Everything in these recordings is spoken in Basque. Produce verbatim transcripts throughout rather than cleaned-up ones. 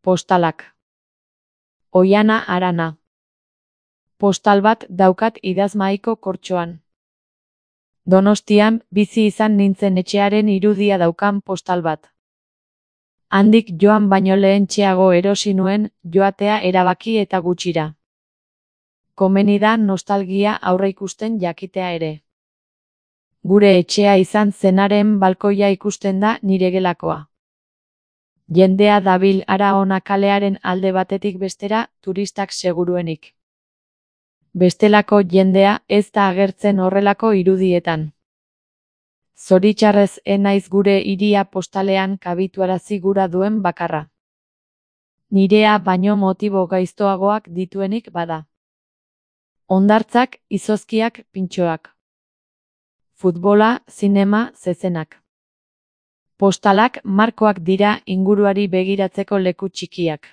Postalak. Oiana Arana. Postal bat daukat idazmahaiko kortxoan. Donostian bizi izan nintzen etxearen irudia daukan postal bat. Handik joan baino lehentxeago erosi nuen joatea erabaki eta gutxira. Komeni da nostalgia aurreikusten jakitea ere. Gure etxea izan zenaren balkoia ikusten da nire gelakoa. Jendea dabil hara hona kalearen alde batetik bestera, turistak seguruenik. Bestelako jendea ez da agertzen horrelako irudietan. Zoritxarrez ez naiz gure hiria postalean kabituarazi gura duen bakarra. Nirea baino motibo gaiztoagoak dituenik bada. Hondartzak, izozkiak, pintxoak. Futbola, zinema, zezenak. Postalak markoak dira inguruari begiratzeko leku txikiak.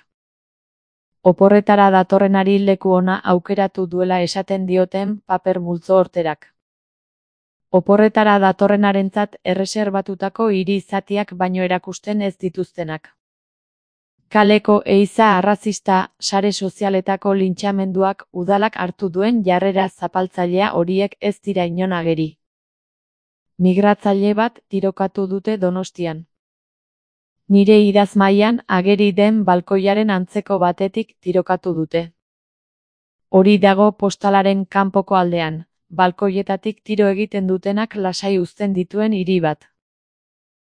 Oporretara datorrenari leku ona aukeratu duela esaten dioten paper multzo horterak. Oporretara datorrenarentzat erreserbatutako hiri zatiak baino erakusten ez dituztenak. Kaleko ehiza arrazista, sare sozialetako lintxamenduak udalak hartu duen jarrera zapaltzailea horiek ez dira inon ageri. Migratzaile bat tirokatu dute Donostian. Nire idazmahaian ageri den balkoiaren antzeko batetik tirokatu dute. Hori dago postalaren kanpoko aldean, balkoietatik tiro egiten dutenak lasai uzten dituen hiri bat.